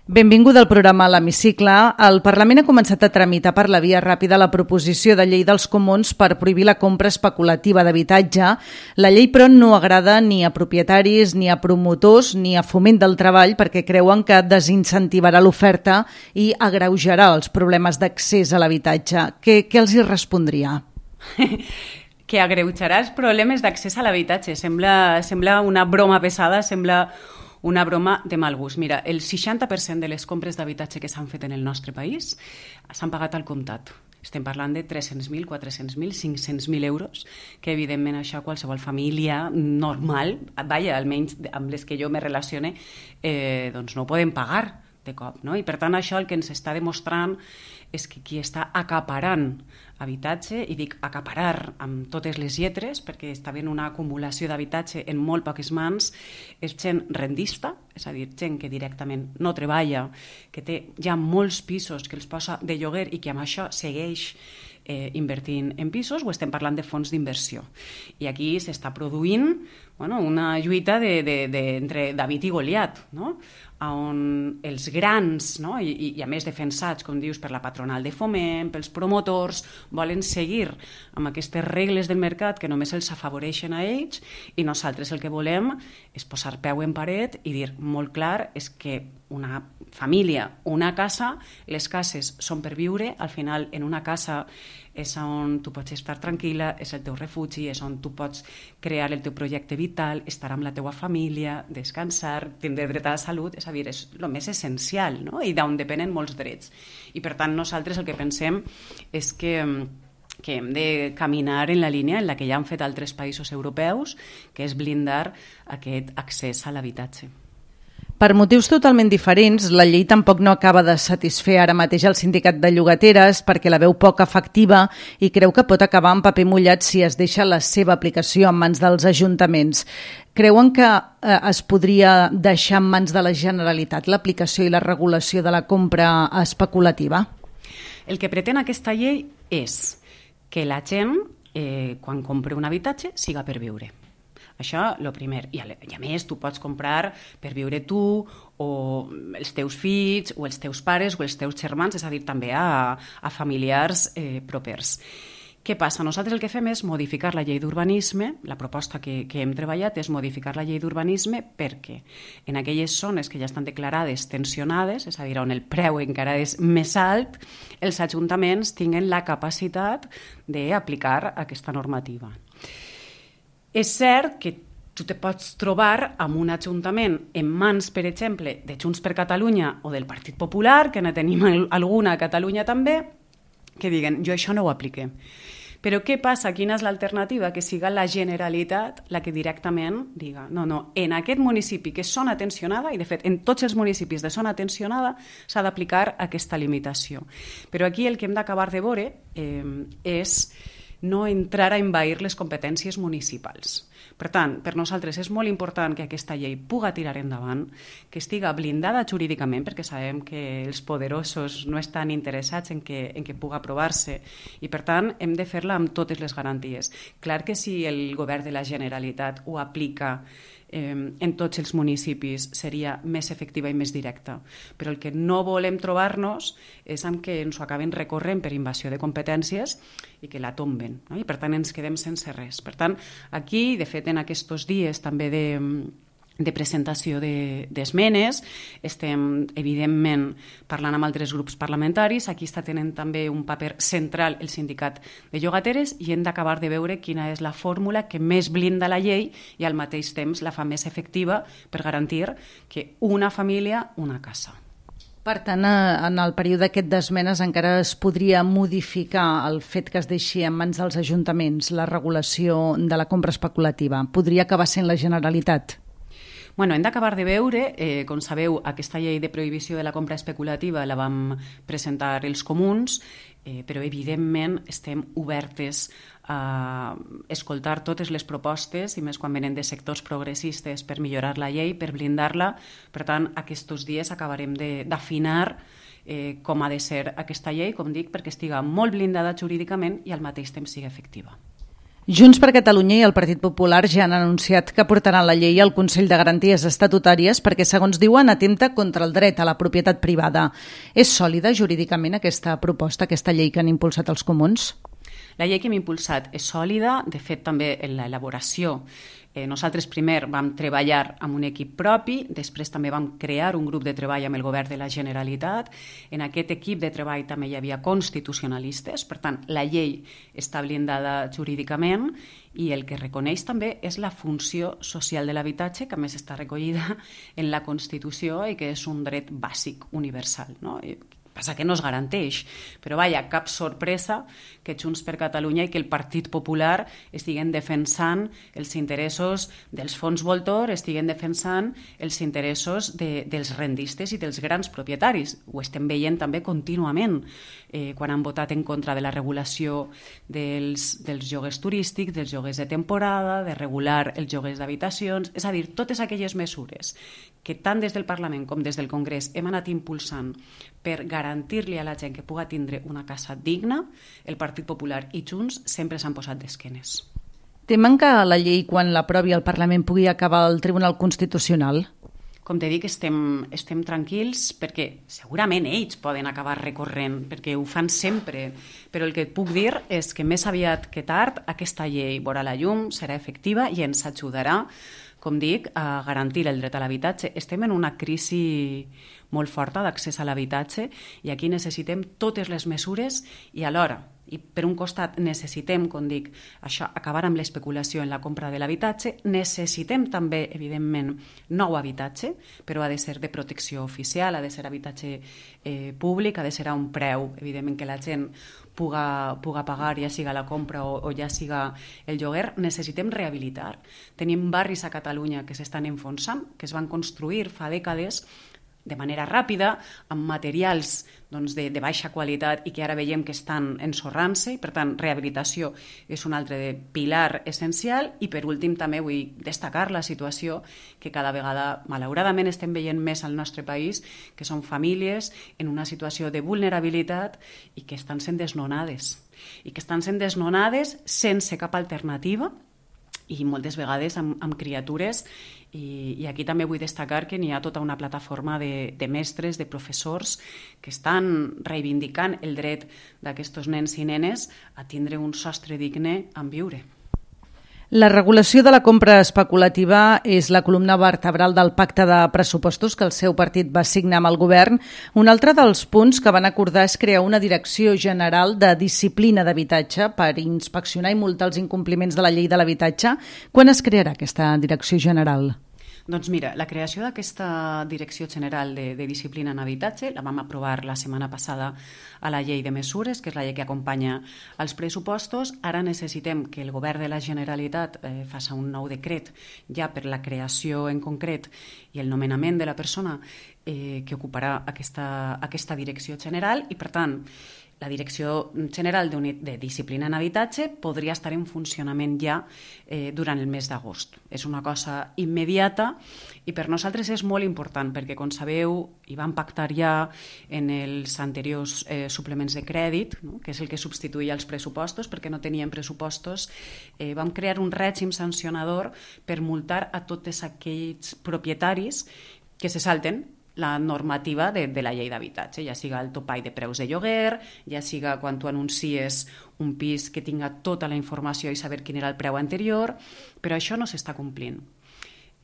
Benvinguda al programa L'Hemicicle. El Parlament ha començat a tramitar per la via ràpida la proposició de llei dels comuns per prohibir la compra especulativa d'habitatge. La llei, però, no agrada ni a propietaris, ni a promotors, ni a Foment del Treball, perquè creuen que desincentivarà l'oferta i agreujarà els problemes d'accés a l'habitatge. Què els hi respondria? Que agreujarà els problemes d'accés a l'habitatge. Sembla una broma pesada, sembla una broma de mal gust. Mira, el 60% de les compres d'habitatge que s'han fet en el nostre país s'han pagat al comptat. Estem parlant de 300.000, 400.000, 500.000 euros, que evidentment això qualsevol família normal, almenys amb les que jo me relacione, doncs no ho poden pagar de cop, no? I per tant això el que ens està demostrant és que qui està acaparant habitatge, i dic acaparar amb totes les lletres perquè està havent una acumulació d'habitatge en molt poques mans, és gent rendista, és a dir, gent que directament no treballa, que té ja molts pisos que els posa de lloguer i que amb això segueix invertint en pisos, o estem parlant de fons d'inversió. I aquí s'està produint una lluita entre David i Goliat, no? On els grans, no? I a més defensats, com dius, per la patronal de foment, pels promotors, volen seguir amb aquestes regles del mercat que només els afavoreixen a ells, i nosaltres el que volem és posar peu en paret i dir molt clar és que una família, una casa, les cases són per viure, al final en una casa és on tu pots estar tranquil·la, és el teu refugi, és on tu pots crear el teu projecte vital, estar amb la teua família, descansar, tindre dret a la salut, és a dir, és el més essencial, no? I d'on depenen molts drets. I per tant nosaltres el que pensem és que hem de caminar en la línia en la que ja han fet altres països europeus, que és blindar aquest accés a l'habitatge. Per motius totalment diferents, la llei tampoc no acaba de satisfer ara mateix el sindicat de llogateres perquè la veu poc efectiva i creu que pot acabar en paper mullat si es deixa la seva aplicació en mans dels ajuntaments. Creuen que es podria deixar en mans de la Generalitat l'aplicació i la regulació de la compra especulativa? El que pretén aquesta llei és que la gent, quan compra un habitatge, siga per viure. Això, el primer. I a més, tu pots comprar per viure tu o els teus fills o els teus pares o els teus germans, és a dir, també a familiars propers. Què passa? Nosaltres el que fem és modificar la llei d'urbanisme, la proposta que hem treballat és modificar la llei d'urbanisme perquè en aquelles zones que ja estan declarades tensionades, és a dir, on el preu encara és més alt, els ajuntaments tinguen la capacitat d'aplicar aquesta normativa. És cert que tu te pots trobar amb un ajuntament en mans, per exemple, de Junts per Catalunya o del Partit Popular, que ne tenim alguna a Catalunya també, que diguen, jo això no ho apliqué. Però què passa? Quina és l'alternativa? Que siga la Generalitat la que directament diga no, en aquest municipi que és zona tensionada, i de fet en tots els municipis de zona tensionada s'ha d'aplicar aquesta limitació. Però aquí el que hem d'acabar de veure és no entrar a envair les competències municipals. Per tant, per nosaltres és molt important que aquesta llei puga tirar endavant, que estiga blindada jurídicament, perquè sabem que els poderosos no estan interessats en que puga aprovar-se, i per tant hem de fer-la amb totes les garanties. Clar que si el govern de la Generalitat ho aplica en tots els municipis seria més efectiva i més directa, però el que no volem trobar-nos és amb que ens ho acaben recorrent per invasió de competències i que la tomben, no? I per tant ens quedem sense res. Per tant, aquí, de fet, en aquests dies també de presentació d'esmenes, estem evidentment parlant amb altres grups parlamentaris, aquí està tenint també un paper central el sindicat de llogateres i hem d'acabar de veure quina és la fórmula que més blinda la llei i al mateix temps la fa més efectiva per garantir que una família, una casa. Per tant, en el període aquest d'esmenes encara es podria modificar el fet que es deixi en mans dels ajuntaments la regulació de la compra especulativa. Podria acabar sent la Generalitat? Hem d'acabar de veure, com sabeu, aquesta llei de prohibició de la compra especulativa la vam presentar els comuns, però evidentment estem obertes a escoltar totes les propostes, i més quan venen de sectors progressistes, per millorar la llei, per blindar-la. Per tant, aquests dies acabarem d'afinar com ha de ser aquesta llei, com dic, perquè estiga molt blindada jurídicament i al mateix temps sigui efectiva. Junts per Catalunya i el Partit Popular ja han anunciat que portaran la llei al Consell de Garanties Estatutàries perquè, segons diuen, atempta contra el dret a la propietat privada. És sòlida jurídicament aquesta proposta, aquesta llei que han impulsat els comuns? La llei que hem impulsat és sòlida. De fet, també en l'elaboració nosaltres primer vam treballar amb un equip propi, després també vam crear un grup de treball amb el govern de la Generalitat. En aquest equip de treball també hi havia constitucionalistes, per tant, la llei està blindada jurídicament i el que reconeix també és la funció social de l'habitatge, que a més està recollida en la Constitució i que és un dret bàsic universal, no? Passa que no es garanteix, però vaja, cap sorpresa que Junts per Catalunya i que el Partit Popular estiguen defensant els interessos dels fons voltor, estiguen defensant els interessos dels rendistes i dels grans propietaris. Ho estem veient també contínuament quan han votat en contra de la regulació dels lloguers turístics, dels lloguers de temporada, de regular els lloguers d'habitacions, és a dir, totes aquelles mesures que tant des del Parlament com des del Congrés hem anat impulsant per garantir-li a la gent que puga tindre una casa digna, el Partit Popular i Junts sempre s'han posat d'esquenes. Temen que la llei, quan l'aprovi el Parlament, pugui acabar al Tribunal Constitucional? Com te dic, estem tranquils perquè segurament ells poden acabar recorrent, perquè ho fan sempre, però el que et puc dir és que més aviat que tard aquesta llei veurà la llum, serà efectiva i ens ajudarà, com dic, a garantir el dret a l'habitatge. Estem en una crisi molt forta d'accés a l'habitatge i aquí necessitem totes les mesures i alhora, i per un costat necessitem, com dic, això, acabar amb l'especulació en la compra de l'habitatge, necessitem també, evidentment, nou habitatge, però ha de ser de protecció oficial, ha de ser habitatge públic, ha de ser a un preu, evidentment, que la gent puga pagar, ja siga la compra o ja siga el lloguer. Necessitem rehabilitar. Tenim barris a Catalunya que s'estan enfonsant, que es van construir fa dècades de manera ràpida, amb materials de baixa qualitat i que ara veiem que estan ensorrant-se, i per tant rehabilitació és un altre pilar essencial. I per últim també vull destacar la situació que cada vegada malauradament estem veient més al nostre país, que són famílies en una situació de vulnerabilitat i que estan sent desnonades sense cap alternativa i moltes vegades amb criatures. I aquí també vull destacar que n'hi ha tota una plataforma de mestres, de professors, que estan reivindicant el dret d'aquests nens i nenes a tindre un sostre digne en viure. La regulació de la compra especulativa és la columna vertebral del pacte de pressupostos que el seu partit va signar amb el govern. Un altre dels punts que van acordar és crear una direcció general de disciplina d'habitatge per inspeccionar i multar els incompliments de la llei de l'habitatge. Quan es crearà aquesta direcció general? Doncs mira, la creació d'aquesta Direcció General de Disciplina en Habitatge la vam aprovar la setmana passada a la llei de mesures, que és la llei que acompanya els pressupostos. Ara necessitem que el govern de la Generalitat faci un nou decret ja per la creació en concret i el nomenament de la persona que ocuparà aquesta Direcció General i, per tant, la Direcció General de Disciplina en Habitatge podria estar en funcionament ja durant el mes d'agost. És una cosa immediata i per nosaltres és molt important perquè, com sabeu, hi vam pactar ja en els anteriors suplements de crèdit, no? Que és el que substituïa els pressupostos, perquè no teníem pressupostos. Vam crear un règim sancionador per multar a tots aquells propietaris que se salten la normativa de la llei d'habitatge, ja siga el topall de preus de lloguer, ja siga quan tu anuncies un pis que tinga tota la informació i saber quin era el preu anterior, però això no s'està complint.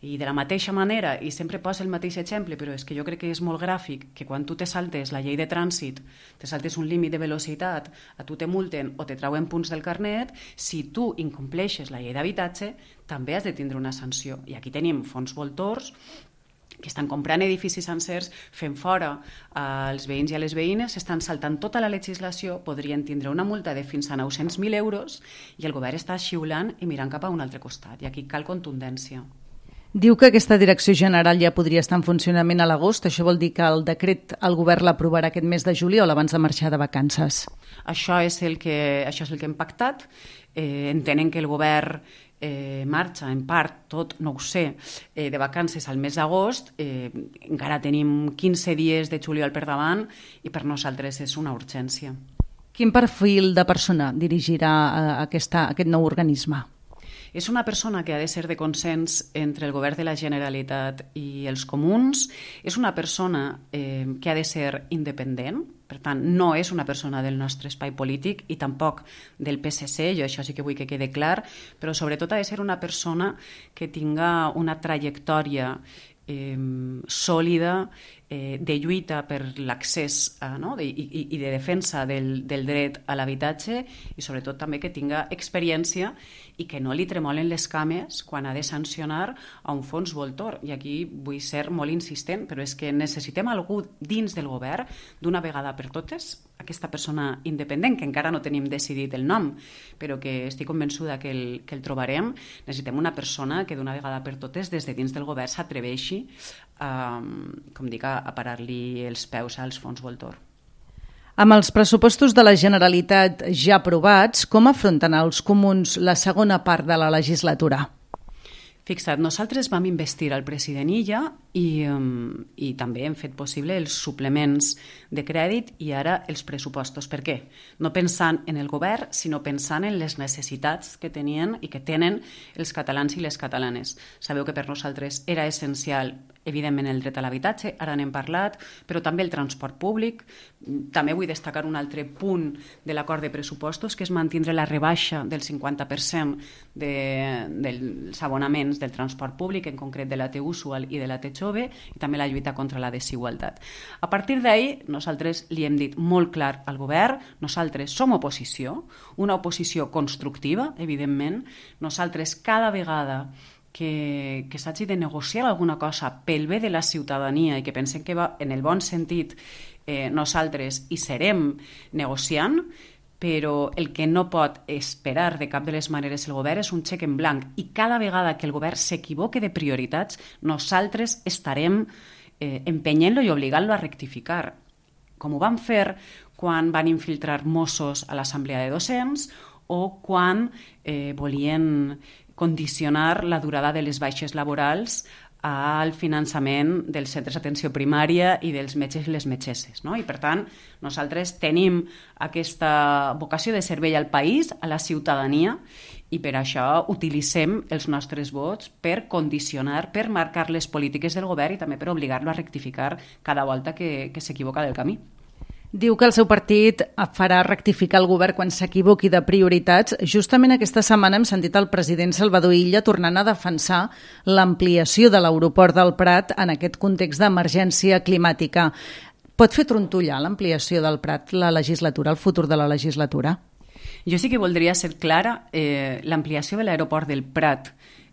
I de la mateixa manera, i sempre poso el mateix exemple, però és que jo crec que és molt gràfic, que quan tu te saltes la llei de trànsit, te saltes un límit de velocitat, a tu te multen o te trauen punts del carnet, si tu incompleixes la llei d'habitatge, també has de tindre una sanció. I aquí tenim fons voltors que estan comprant edificis sencers, fent fora als veïns i a les veïnes, estan saltant tota la legislació, podrien tindre una multa de fins a 900.000 euros i el govern està xiulant i mirant cap a un altre costat. I aquí cal contundència. Diu que aquesta direcció general ja podria estar en funcionament a l'agost. Això vol dir que el decret el govern l'aprovarà aquest mes de juliol abans de marxar de vacances. Això és el que hem pactat. Entenen que el govern marxa en part, tot no ho sé, de vacances al mes d'agost. Encara tenim 15 dies de juliol per davant i per nosaltres és una urgència. Quin perfil de persona dirigirà aquest nou organisme? És una persona que ha de ser de consens entre el govern de la Generalitat i els comuns, és una persona que ha de ser independent, per tant, no és una persona del nostre espai polític i tampoc del PSC, jo això sí que vull que quede clar, però sobretot ha de ser una persona que tinga una trajectòria sòlida de lluita per l'accés i de defensa del dret a l'habitatge i sobretot també que tinga experiència i que no li tremolen les cames quan ha de sancionar a un fons voltor. I aquí vull ser molt insistent, però és que necessitem algú dins del govern d'una vegada per totes, aquesta persona independent, que encara no tenim decidit el nom, però que estic convençuda que el trobarem. Necessitem una persona que d'una vegada per totes des de dins del govern s'atreveixi a parar-li els peus als fons voltor. Amb els pressupostos de la Generalitat ja aprovats, com afronten els comuns la segona part de la legislatura? Fixa't, nosaltres vam investir al president Illa i també hem fet possible els suplements de crèdit i ara els pressupostos. Per què? No pensant en el govern, sinó pensant en les necessitats que tenien i que tenen els catalans i les catalanes. Sabeu que per nosaltres era essencial, evidentment, el dret a l'habitatge, ara n'hem parlat, però també el transport públic. També vull destacar un altre punt de l'acord de pressupostos, que és mantindre la rebaixa del 50% dels abonaments del transport públic, en concret de la T usual i de la T jove, i també la lluita contra la desigualtat. A partir d'ahí, nosaltres li hem dit molt clar al govern, nosaltres som oposició, una oposició constructiva, evidentment. Nosaltres cada vegada que s'hagi de negociar alguna cosa pel bé de la ciutadania i que pensem que va en el bon sentit, nosaltres hi serem negociant, però el que no pot esperar de cap de les maneres el govern és un xec en blanc, i cada vegada que el govern s'equivoque de prioritats, nosaltres estarem empenyent-lo i obligant-lo a rectificar, com ho van fer quan van infiltrar Mossos a l'assemblea de docents o quan volien condicionar la durada de les baixes laborals al finançament dels centres d'atenció primària i dels metges i les metgesses, no? I per tant, nosaltres tenim aquesta vocació de servei al país, a la ciutadania, i per això utilitzem els nostres vots per condicionar, per marcar les polítiques del govern i també per obligar-lo a rectificar cada volta que s'equivoca del camí. Diu que el seu partit farà rectificar el govern quan s'equivoqui de prioritats. Justament aquesta setmana hem sentit el president Salvador Illa tornant a defensar l'ampliació de l'aeroport del Prat en aquest context d'emergència climàtica. Pot fer trontollar l'ampliació del Prat la legislatura, el futur de la legislatura? Jo sí que voldria ser clara. L'ampliació de l'aeroport del Prat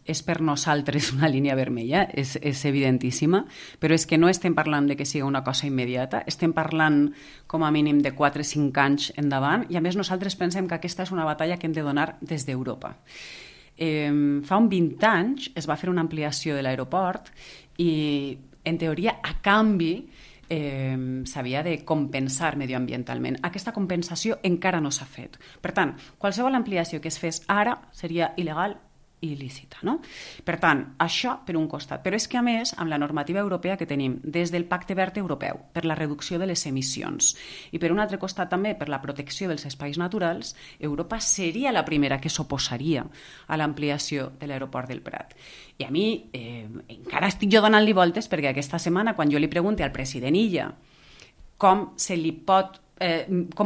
és per nosaltres una línia vermella, és evidentíssima, però és que no estem parlant de que sigui una cosa immediata, estem parlant com a mínim de 4 o 5 anys endavant, i a més nosaltres pensem que aquesta és una batalla que hem de donar des d'Europa. Fa uns 20 anys es va fer una ampliació de l'aeroport i, en teoria, a canvi, s'havia de compensar medioambientalment. Aquesta compensació encara no s'ha fet. Per tant, qualsevol ampliació que es fes ara seria il·legal i il·lícita, no? Per tant, això per un costat. Però és que, a més, amb la normativa europea que tenim, des del Pacte Verd Europeu, per la reducció de les emissions, i per un altre costat també per la protecció dels espais naturals, Europa seria la primera que s'oposaria a l'ampliació de l'aeroport del Prat. I a mi encara estic jo donant-li voltes, perquè aquesta setmana, quan jo li pregunte al president Illa com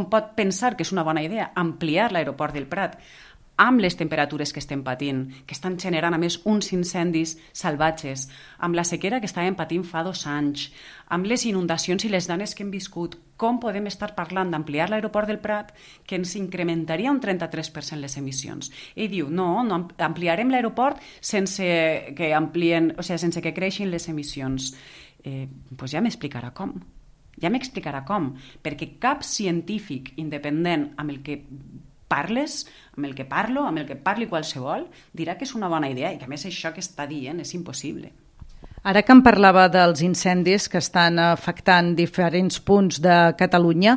pot pensar que és una bona idea ampliar l'aeroport del Prat amb les temperatures que estem patint, que estan generant a més uns incendis salvatges, amb la sequera que estàvem patint fa 2 anys, amb les inundacions i les danes que hem viscut, com podem estar parlant d'ampliar l'aeroport del Prat que ens incrementaria un 33% les emissions? Ell diu, no ampliarem l'aeroport sense que creixin les emissions. Doncs ja m'explicarà com. Ja m'explicarà com, perquè cap científic independent amb el que parles, amb el que parlo, amb el que parli qualsevol, dirà que és una bona idea i que a més això que està dient és impossible. Ara que em parlava dels incendis que estan afectant diferents punts de Catalunya,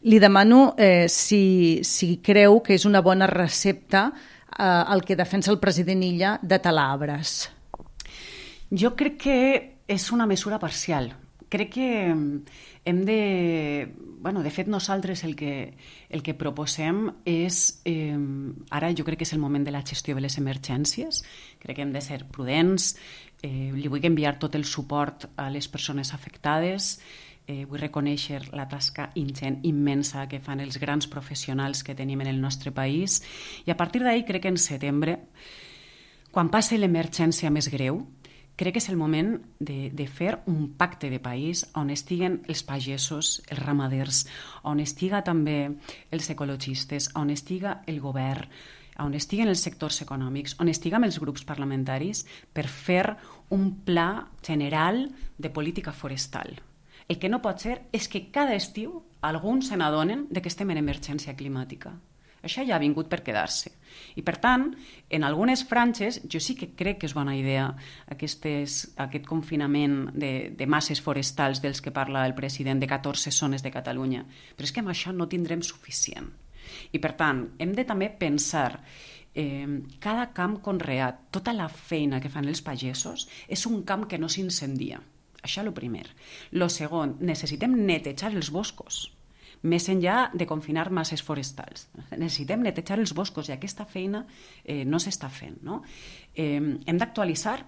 li demano si creu que és una bona recepta el que defensa el president Illa de talar arbres. Jo crec que és una mesura parcial. crec que hem de... de fet, nosaltres el que proposem és... Ara jo crec que és el moment de la gestió de les emergències. Crec que hem de ser prudents. Li vull enviar tot el suport a les persones afectades. Vull reconèixer la tasca ingent, immensa que fan els grans professionals que tenim en el nostre país. I a partir d'ahí crec que en setembre, quan passi l'emergència més greu, crec que és el moment de fer un pacte de país on estiguen els pagesos, els ramaders, on estiga també els ecologistes, on estiga el govern, on estiguen els sectors econòmics, on estiguem els grups parlamentaris per fer un pla general de política forestal. El que no pot ser és que cada estiu alguns se n'adonen que estem en emergència climàtica. Això ja ha vingut per quedar-se. I, per tant, en algunes franges, jo sí que crec que és bona idea aquest confinament de masses forestals dels que parla el president de 14 zones de Catalunya. Però és que amb això no tindrem suficient. I, per tant, hem de també pensar cada camp conreat, tota la feina que fan els pagesos, és un camp que no s'incendia. Això és el primer. El segon, necessitem netejar els boscos, més enllà de confinar masses forestals. Necessitem netejar els boscos i aquesta feina no s'està fent. No? Hem d'actualitzar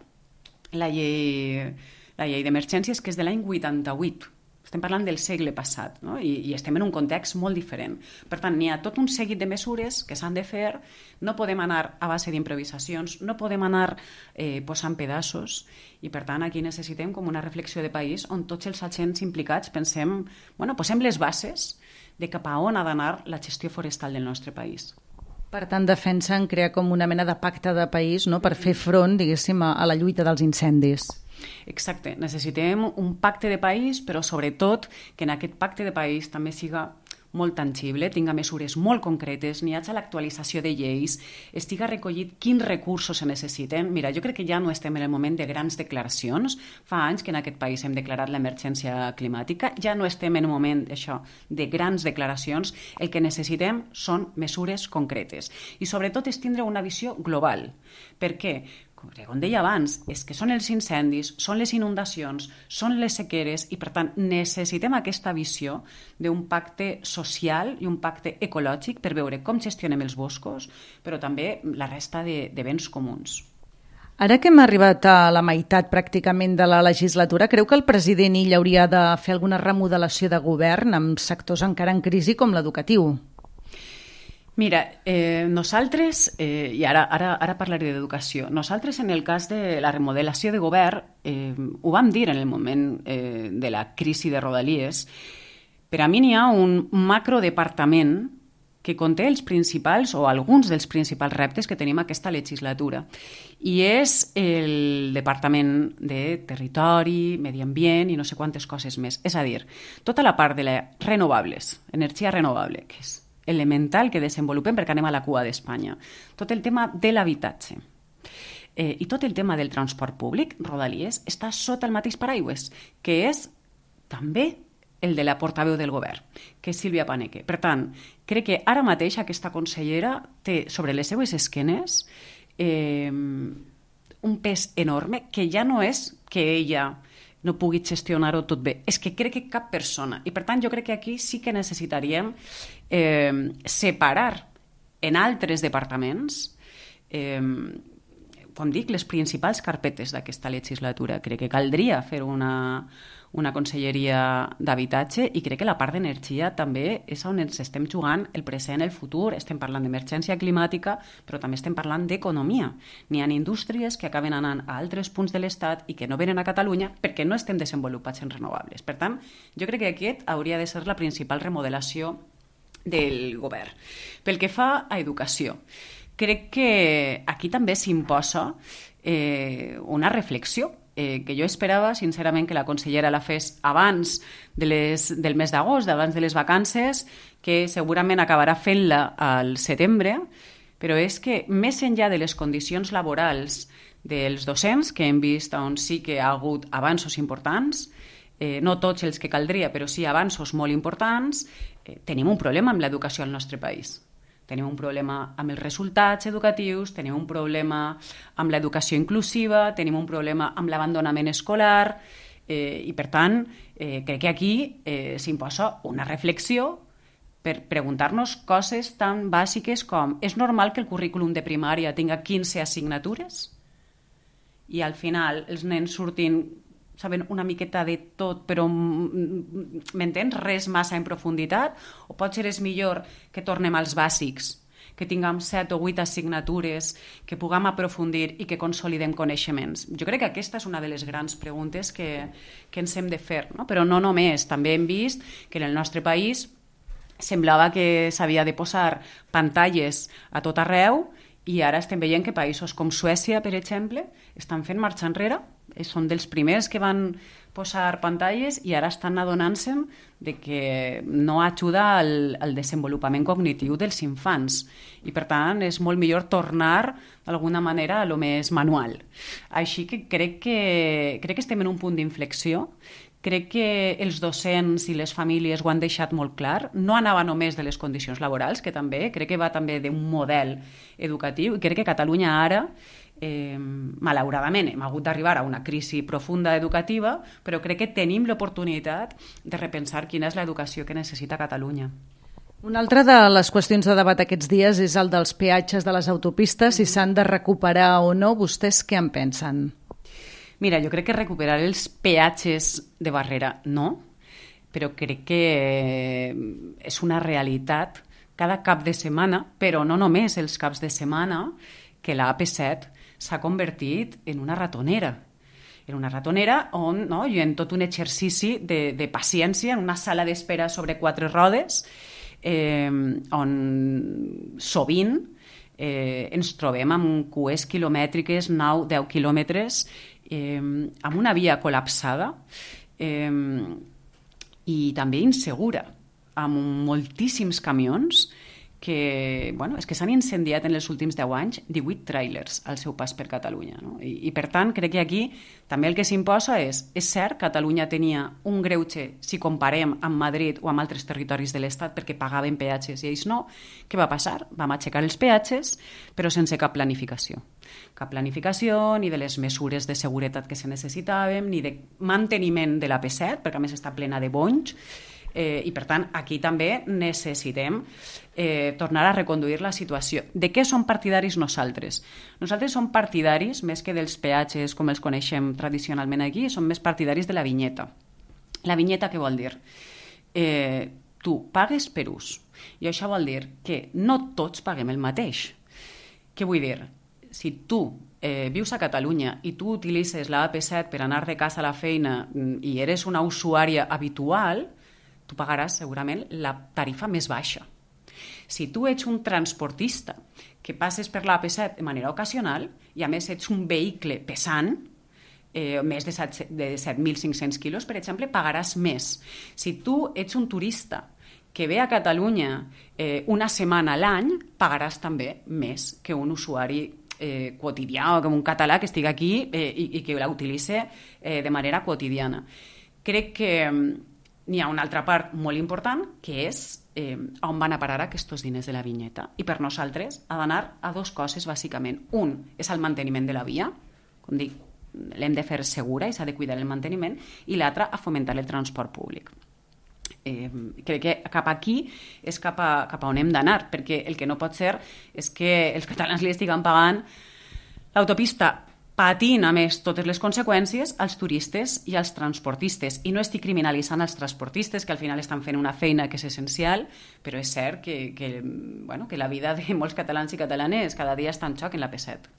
la llei d'emergències, que és de l'any 88. Estem parlant del segle passat, no? I estem en un context molt diferent. Per tant, n'hi ha tot un seguit de mesures que s'han de fer, no podem anar a base d'improvisacions, no podem anar posant pedaços, i per tant aquí necessitem com una reflexió de país on tots els agents implicats posem les bases de cap a on ha d'anar la gestió forestal del nostre país. Per tant, defensen crear com una mena de pacte de país, no?, per fer front, diguéssim, a la lluita dels incendis. Exacte, necessitem un pacte de país, però sobretot que en aquest pacte de país també siga molt tangible, tinga mesures molt concretes, n'hi hagi l'actualització de lleis, estiga recollit quins recursos se necessiten. Mira, jo crec que ja no estem en el moment de grans declaracions. Fa anys que en aquest país hem declarat l'emergència climàtica, ja no estem en un moment això de grans declaracions. El que necessitem són mesures concretes. I sobretot és tindre una visió global. Per què? Com deia abans, és que són els incendis, són les inundacions, són les sequeres i, per tant, necessitem aquesta visió d'un pacte social i un pacte ecològic per veure com gestionem els boscos, però també la resta de béns comuns. Ara que hem arribat a la meitat pràcticament de la legislatura, creu que el president Illa hauria de fer alguna remodelació de govern amb sectors encara en crisi com l'educatiu? Mira, nosaltres, i ara parlaré d'educació, nosaltres en el cas de la remodelació de govern ho vam dir en el moment de la crisi de Rodalies. Per a mi n'hi ha un macrodepartament que conté els principals o alguns dels principals reptes que tenim aquesta legislatura. I és el Departament de Territori, Medi Ambient i no sé quantes coses més. És a dir, tota la part de les renovables, energia renovable, que és elemental que desenvolupem perquè anem a la cua d'Espanya. Tot el tema de l'habitatge i tot el tema del transport públic, Rodalies, està sota el mateix paraigües, que és també el de la portaveu del govern, que és Sílvia Paneque. Per tant, crec que ara mateix aquesta consellera té sobre les seues esquenes un pes enorme que ja no és que ella no pugui gestionar-ho tot bé. És que crec que cap persona. I per tant jo crec que aquí sí que necessitaríem separar en altres departaments com dic, les principals carpetes d'aquesta legislatura. Crec que caldria fer una conselleria d'habitatge i crec que la part d'energia també és on ens estem jugant el present, el futur. Estem parlant d'emergència climàtica, però també estem parlant d'economia. N'hi ha indústries que acaben anant a altres punts de l'Estat i que no venen a Catalunya perquè no estem desenvolupats en renovables. Per tant, jo crec que aquest hauria de ser la principal remodelació del govern. Pel que fa a educació, crec que aquí també s'imposa una reflexió que jo esperava, sincerament, que la consellera la fes abans del mes d'agost, abans de les vacances, que segurament acabarà fent-la al setembre, però és que més enllà de les condicions laborals dels docents, que hem vist on sí que ha hagut avanços importants, no tots els que caldria, però sí avanços molt importants, tenim un problema amb l'educació al nostre país. Tenim un problema amb els resultats educatius, tenim un problema amb l'educació inclusiva, tenim un problema amb l'abandonament escolar. I per tant, crec que aquí s'imposa una reflexió per preguntar-nos coses tan bàsiques com és normal que el currículum de primària tinga 15 assignatures i al final els nens surtin saben una miqueta de tot, però m'entens? Res massa en profunditat? O potser és millor que tornem als bàsics, que tinguem 7 o 8 assignatures, que puguem aprofundir i que consolidem coneixements? Jo crec que aquesta és una de les grans preguntes que ens hem de fer, no? Però no només, també hem vist que en el nostre país semblava que s'havia de posar pantalles a tot arreu i ara estem veient que països com Suècia, per exemple, estan fent marxa enrere. Són dels primers que van posar pantalles i ara estan adonant-se de que no ajuda al desenvolupament cognitiu dels infants. I, per tant, és molt millor tornar, d'alguna manera, a lo més manual. Així que crec que estem en un punt d'inflexió. Crec que els docents i les famílies ho han deixat molt clar. No anava només de les condicions laborals, que també, crec que va també d'un model educatiu, i crec que Catalunya ara, malauradament, hem hagut d'arribar a una crisi profunda educativa, però crec que tenim l'oportunitat de repensar quina és l'educació que necessita Catalunya. Una altra de les qüestions de debat aquests dies és el dels peatges de les autopistes, si s'han de recuperar o no. Vostès què en pensen? Mira, jo crec que recuperar els peatges de barrera no, però crec que és una realitat cada cap de setmana, però no només els caps de setmana, que la AP7 s'ha convertit en una ratonera. En una ratonera on hi ha tot un exercici de paciència en una sala d'espera sobre 4 rodes, on sovint ens trobem amb cues quilomètriques, 9-10 quilòmetres, amb una via col·lapsada i també insegura, amb moltíssims camions que, és que s'han incendiat en els últims 10 anys 18 tràilers al seu pas per Catalunya. No? I per tant, crec que aquí també el que s'imposa és cert, Catalunya tenia un greuge si comparem amb Madrid o amb altres territoris de l'Estat perquè pagaven peatges i ells no. Què va passar? Vam aixecar els peatges, però sense cap planificació. Cap planificació, ni de les mesures de seguretat que se necessitaven, ni de manteniment de l'AP7, perquè a més està plena de bonys, i per tant aquí també necessitem tornar a reconduir la situació. De què som partidaris nosaltres? Nosaltres som partidaris, més que dels peatges com els coneixem tradicionalment aquí, som més partidaris de la vinyeta. La vinyeta què vol dir? Tu pagues per ús, i això vol dir que no tots paguem el mateix. Què vull dir? Si tu vius a Catalunya i tu utilitzes la AP7 per anar de casa a la feina i eres una usuària habitual, tu pagaràs segurament la tarifa més baixa. Si tu ets un transportista que passes per l'AP7 de manera ocasional i a més ets un vehicle pesant, més de 7.500 quilos, per exemple, pagaràs més. Si tu ets un turista que ve a Catalunya una setmana a l'any, pagaràs també més que un usuari quotidià o com un català que estigui aquí i que la utilitzi de manera quotidiana. Crec que n'hi ha una altra part molt important, que és on van a parar aquests diners de la vinyeta. I per nosaltres ha d'anar a 2 coses, bàsicament. Un és el manteniment de la via, com dic, l'hem de fer segura i s'ha de cuidar el manteniment, i l'altra a fomentar el transport públic. Crec que cap aquí és cap a on hem d'anar, perquè el que no pot ser és que els catalans li estiguen pagant l'autopista patint, a més, totes les conseqüències als turistes i als transportistes. I no estic criminalitzant els transportistes, que al final estan fent una feina que és essencial, però és cert que la vida de molts catalans i catalanes cada dia està en xoc en l'AP7.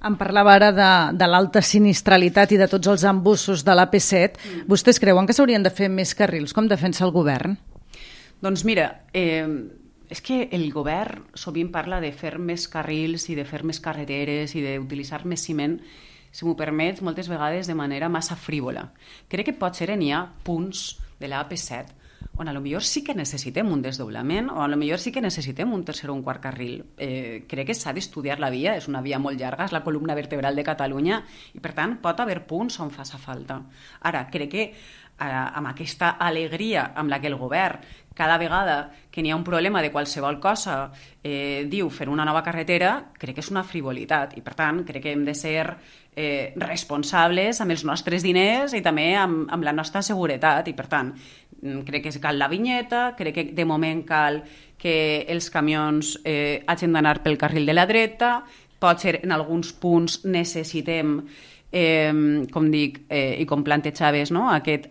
Em parlava ara de l'alta sinistralitat i de tots els embussos de l'AP7. Vostès creuen que s'haurien de fer més carrils? Com defensa el govern? Doncs mira, és que el govern sovint parla de fer més carrils i de fer més carreteres i d'utilitzar més ciment, si m'ho permets, moltes vegades de manera massa frívola. Crec que potser n'hi ha punts de l'AP7 on a lo millor sí que necessitem un desdoblament o a lo millor sí que necessitem un tercer o un quart carril. Crec que s'ha d'estudiar la via, és una via molt llarga, és la columna vertebral de Catalunya i per tant pot haver punts on faça falta. Ara, crec que amb aquesta alegria amb la que el govern cada vegada que n'hi ha un problema de qualsevol cosa diu fer una nova carretera, crec que és una frivolitat i per tant crec que hem de ser responsables amb els nostres diners i també amb la nostra seguretat i per tant crec que cal la vinyeta, crec que de moment cal que els camions hagin d'anar pel carril de la dreta, pot ser en alguns punts necessitem com dic, i com plantejaves, no? aquest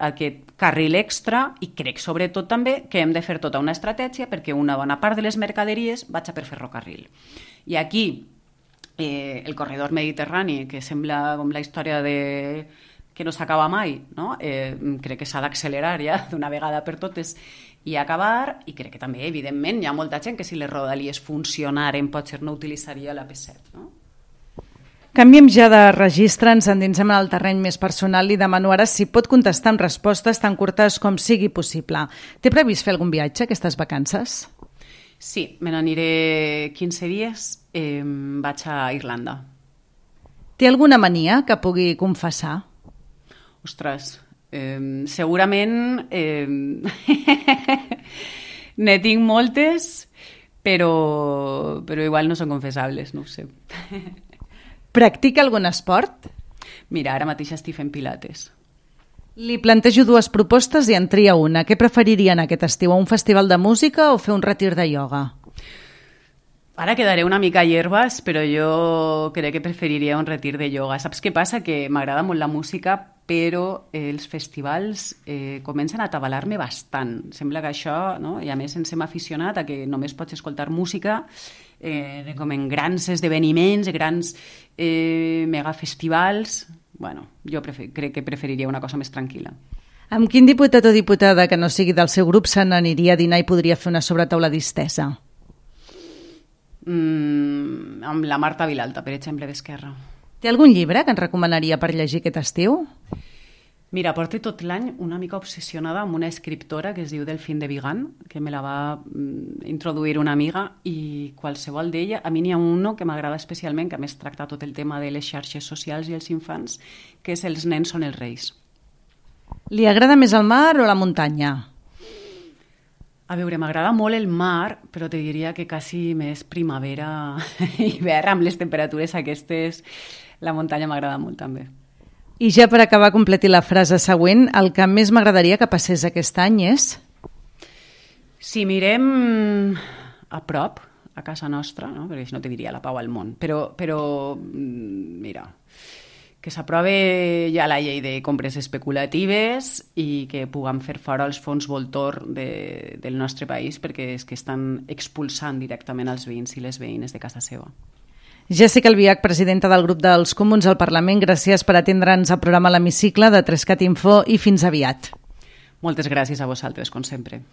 carril extra i crec sobretot també que hem de fer tota una estratègia perquè una bona part de les mercaderies vagi per ferrocarril. I aquí el corredor mediterrani, que sembla com la història que no s'acaba mai, no? Crec que s'ha d'accelerar ja d'una vegada per totes i acabar, i crec que també, evidentment, hi ha molta gent que si les rodalies funcionaren potser no utilitzaria l'AP7, no? Canviem ja de registre, ens endinsem en el terreny més personal i demano ara si pot contestar amb respostes tan curtes com sigui possible. Té previst fer algun viatge aquestes vacances? Sí, me n'aniré 15 dies, vaig a Irlanda. Té alguna mania que pugui confessar? Ostres, segurament ne tinc moltes, però igual no són confessables, no ho sé. Practica algun esport? Mira, ara mateix estic fent pilates. Li plantejo dues propostes i en tria una. Què preferiria en aquest estiu, un festival de música o fer un retir de ioga? Ara quedaré una mica a hierbas, però jo crec que preferiria un retir de ioga. Saps què passa? Que m'agrada molt la música, però els festivals comencen a atabalar-me bastant. Sembla que això, no? I a més ens hem aficionat a que només pots escoltar música com en grans esdeveniments, grans megafestivals. Bueno, jo crec que preferiria una cosa més tranquil·la. Amb quin diputat o diputada que no sigui del seu grup se n'aniria a dinar i podria fer una sobretaula distesa? Amb la Marta Vilalta, per exemple, d'Esquerra. Té algun llibre que ens recomanaria per llegir aquest estiu? Mira, porto tot l'any una mica obsessionada amb una escriptora que es diu Delphine de Vigan, que me la va introduir una amiga, i qualsevol d'ella, a mi n'hi ha uno que m'agrada especialment, que a més tracta tot el tema de les xarxes socials i els infants, que és Els nens són els reis. Li agrada més el mar o la muntanya? A veure, m'agrada molt el mar, però te diria que quasi més primavera i hivern, amb les temperatures aquestes, la muntanya m'agrada molt també. I ja per acabar, completi la frase següent. El que més m'agradaria que passés aquest any és? Si mirem a prop, a casa nostra, no? Perquè si no te diria la pau al món, però mira, que s'aprove ja la llei de compres especulatives i que puguem fer fora els fons voltor del nostre país perquè és que estan expulsant directament els veïns i les veïnes de casa seva. Jèssica Albiach, presidenta del grup dels Comuns al Parlament, gràcies per atendre'ns al programa L'Hemicicle de 3cat Info i fins aviat. Moltes gràcies a vosaltres, com sempre.